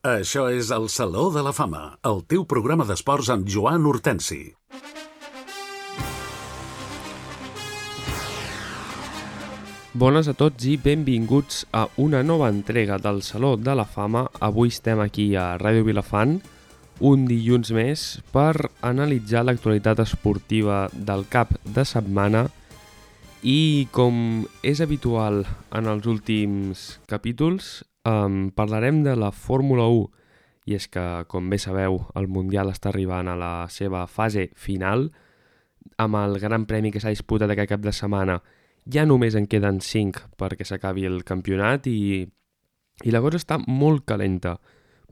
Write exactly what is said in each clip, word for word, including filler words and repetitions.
Això és el Saló de la Fama, el teu programa d'esports amb Joan Hortensi. Bones a tots i benvinguts a una nova entrega del Saló de la Fama. Avui estem aquí a Ràdio Vilafant, un dilluns més, per analitzar l'actualitat esportiva del cap de setmana i, com és habitual en els últims capítols, um, parlarem de la Fórmula u. I és que, com bé sabeu, el Mundial està arribant a la seva fase final. Amb el Gran Premi que s'ha disputat aquest cap de setmana ja només en queden cinc perquè s'acabi el campionat i, i la cosa està molt calenta,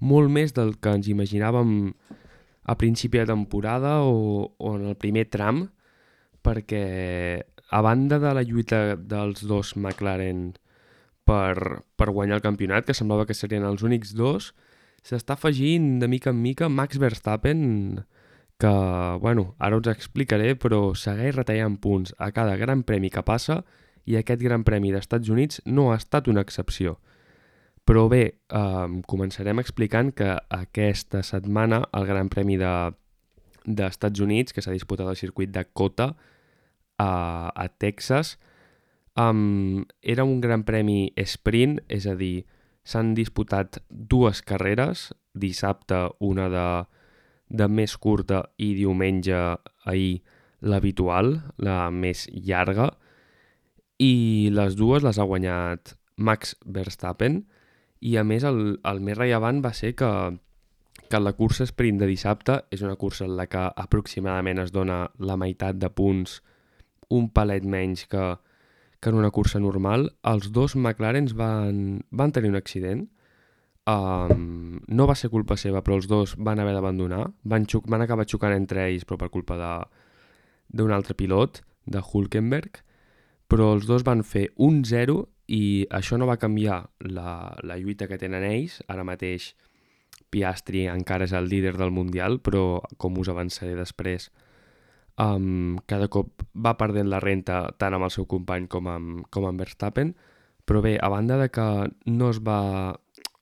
molt més del que ens imaginàvem a principi de temporada o, o en el primer tram, perquè a banda de la lluita dels dos McLaren per, per guanyar el campionat, que semblava que serien els únics dos, s'està afegint de mica en mica Max Verstappen, que, bueno, ara us explicaré, però segueix retallant punts a cada gran premi que passa i aquest Gran Premi d'Estats Units no ha estat una excepció. Però bé, eh, començarem explicant que aquesta setmana el Gran Premi de, d'Estats Units, que s'ha disputat al circuit de COTA a, a Texas, um, era un Gran Premi sprint, és a dir, s'han disputat dues carreres, dissabte una de de més curta i diumenge ahir l'habitual, la més llarga, i les dues les ha guanyat Max Verstappen i a més el, el més rellevant va ser que, que la cursa sprint de dissabte és una cursa en la que aproximadament es dona la meitat de punts, un palet menys que, que en una cursa normal. Els dos McLarens van, van tenir un accident. Um, no va ser culpa seva, però els dos van haver d'abandonar, van, xuc- van acabar xocant entre ells, però per culpa de, d'un altre pilot, de Hülkenberg, però els dos van fer un zero i això no va canviar la, la lluita que tenen ells. Ara mateix Piastri encara és el líder del Mundial, però com us avançaré després, um, cada cop va perdent la renta tant amb el seu company com amb, com amb Verstappen. Però bé, a banda de que no es va...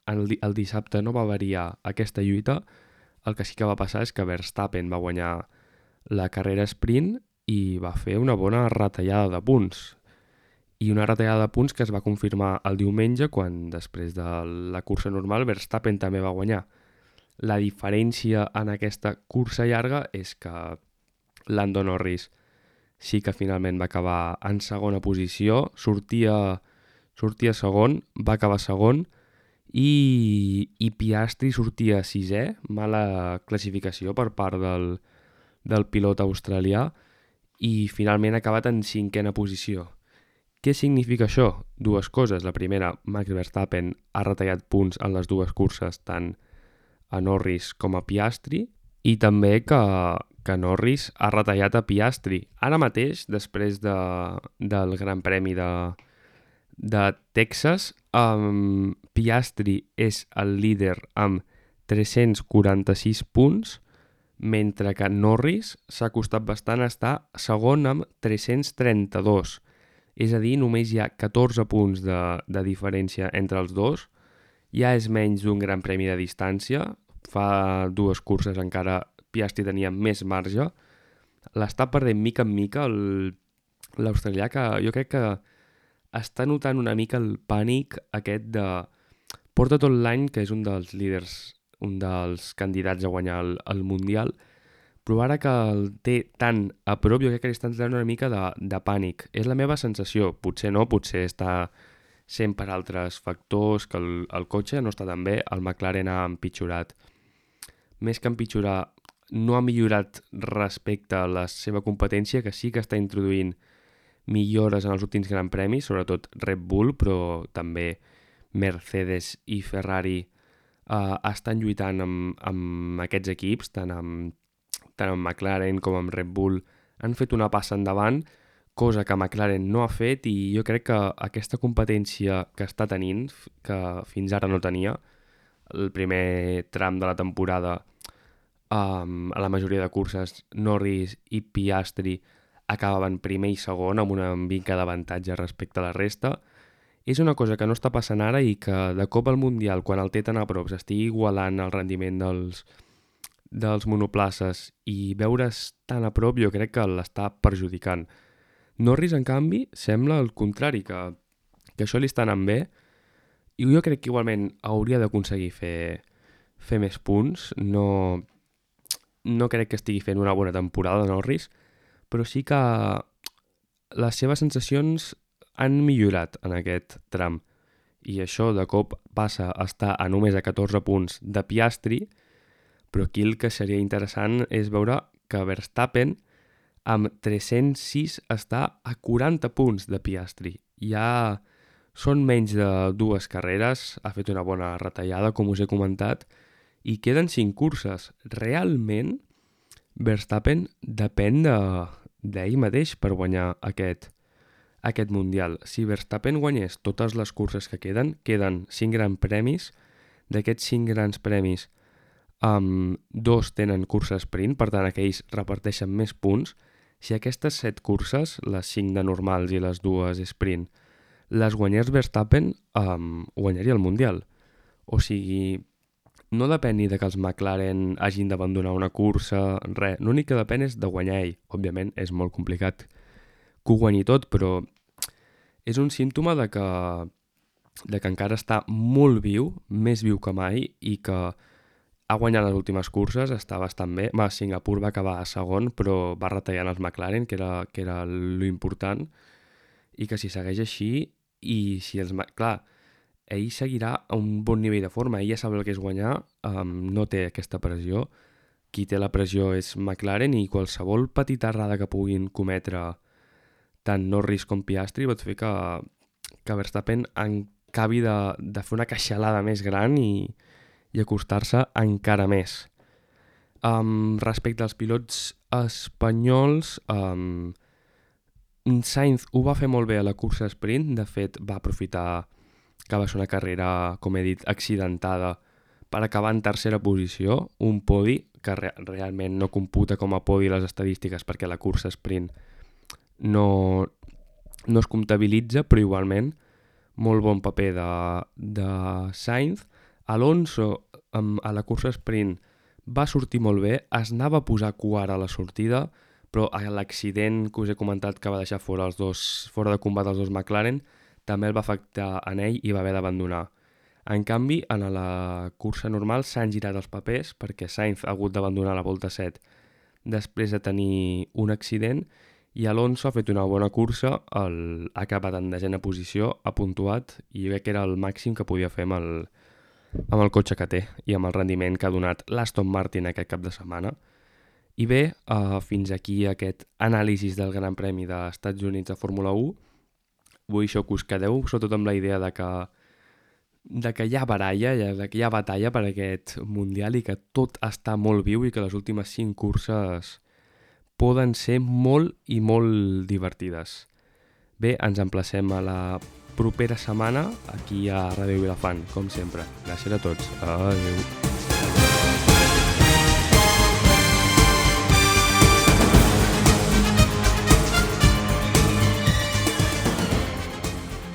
El, el dissabte no va variar aquesta lluita, el que sí que va passar és que Verstappen va guanyar la carrera sprint i va fer una bona retallada de punts. I una retallada de punts que es va confirmar el diumenge quan, després de la cursa normal, Verstappen també va guanyar. La diferència en aquesta cursa llarga és que Lando Norris sí que finalment va acabar en segona posició, sortia, sortia segon, va acabar segon, I, i Piastri sortia sisè, mala classificació per part del, del pilot australià i finalment ha acabat en cinquena posició. Què significa això? Dues coses. La primera, Max Verstappen ha retallat punts en les dues curses, tant a Norris com a Piastri, i també que, que Norris ha retallat a Piastri. Ara mateix, després de, del Gran Premi de, de Texas, um, Piastri és el líder amb tres-cents quaranta-sis punts, mentre que Norris s'ha costat bastant a estar segon amb tres-cents trenta-dos. És a dir, només hi ha catorze punts de, de diferència entre els dos. Ja és menys d'un Gran Premi de distància. Fa dues curses encara Piastri tenia més marge. L'està perdent mica en mica el, l'australià, que jo crec que està notant una mica el pànic aquest de... Porta tot l'any que és un dels líders, un dels candidats a guanyar el, el Mundial, però ara que el té tan a prop, jo crec que li està entrant una mica de, de pànic. És la meva sensació. Potser no, potser està sent per altres factors, que el, el cotxe no està tan bé, el McLaren ha empitjorat. Més que empitjorar, no ha millorat respecte a la seva competència, que sí que està introduint millores en els últims Gran Premis, sobretot Red Bull, però també Mercedes i Ferrari eh, estan lluitant amb, amb aquests equips, tant amb, tant amb McLaren com amb Red Bull han fet una passa endavant, cosa que McLaren no ha fet, i jo crec que aquesta competència que està tenint, que fins ara no tenia, el primer tram de la temporada, um, a la majoria de curses, Norris i Piastri acabaven primer i segon amb una mica d'avantatge respecte a la resta, és una cosa que no està passant ara i que de cop al Mundial, quan el té tan a prop, s'estigui igualant el rendiment dels, dels monoplaces i veure's tan a prop, jo crec que l'està perjudicant. Norris, en canvi, sembla el contrari, que, que això li està anant bé, i jo crec que igualment hauria d'aconseguir fer, fer més punts. No, no crec que estigui fent una bona temporada Norris, però sí que les seves sensacions han millorat en aquest tram. I això de cop passa a estar a només a catorze punts de Piastri, però aquí el que seria interessant és veure que Verstappen amb tres-cents sis està a quaranta punts de Piastri. Ja són menys de dues carreres, ha fet una bona retallada, com us he comentat, i queden cinc curses. Realment, Verstappen depèn de, d'ell mateix per guanyar aquest, aquest Mundial. Si Verstappen guanyés totes les curses que queden, queden cinc grans premis. D'aquests cinc grans premis, um, dos tenen cursa sprint, per tant aquells reparteixen més punts. Si aquestes set curses, les cinc de normals i les dues sprint, les guanyés Verstappen, um, guanyaria el Mundial. O sigui, no depèn ni de que els McLaren hagin d'abandonar una cursa, res. L'únic que depèn és de guanyar ell. Òbviament és molt complicat que ho guanyi tot, però és un símptoma de que, de que encara està molt viu, més viu que mai, i que ha guanyat les últimes curses, està bastant bé. Va, Singapur va acabar a segon, però va retallant els McLaren, que era, que era l'important, i que si segueix així, i si els... Clar, ell seguirà a un bon nivell de forma, ell ja sap el que és guanyar, um, no té aquesta pressió. Qui té la pressió és McLaren, i qualsevol petita errada que puguin cometre tant Norris com Piastri pot fer que, que Verstappen acabi de, de fer una queixalada més gran i, i acostar-se encara més. Um, respecte als pilots espanyols, um, Sainz ho va fer molt bé a la cursa sprint, de fet va aprofitar que va ser una carrera, com he dit, accidentada per acabar en tercera posició, un podi que re- realment no computa com a podi les estadístiques perquè la cursa sprint no, no es comptabilitza, però igualment molt bon paper de, de Sainz. Alonso um, a la cursa sprint va sortir molt bé, es anava a posar quart a la sortida, però l'accident que us he comentat que va deixar fora, els dos, fora de combat els dos McLaren també el va afectar en ell i va haver d'abandonar. En canvi, en la cursa normal s'han girat els papers perquè Sainz ha hagut d'abandonar la volta set després de tenir un accident i Alonso ha fet una bona cursa, el, ha acabat en desena posició, ha puntuat i jo crec que era el màxim que podia fer amb el, amb el cotxe que té i amb el rendiment que ha donat l'Aston Martin aquest cap de setmana. I bé, uh, fins aquí aquest anàlisi del Gran Premi dels Estats Units de Fórmula u. Vull això que us quedeu, sobretot amb la idea de que, de que hi ha baralla, de que hi ha batalla per aquest Mundial i que tot està molt viu i que les últimes cinc curses poden ser molt i molt divertides. Bé, ens emplacem a la propera setmana aquí a Ràdio Vilafant, com sempre. Gràcies a tots. Adéu.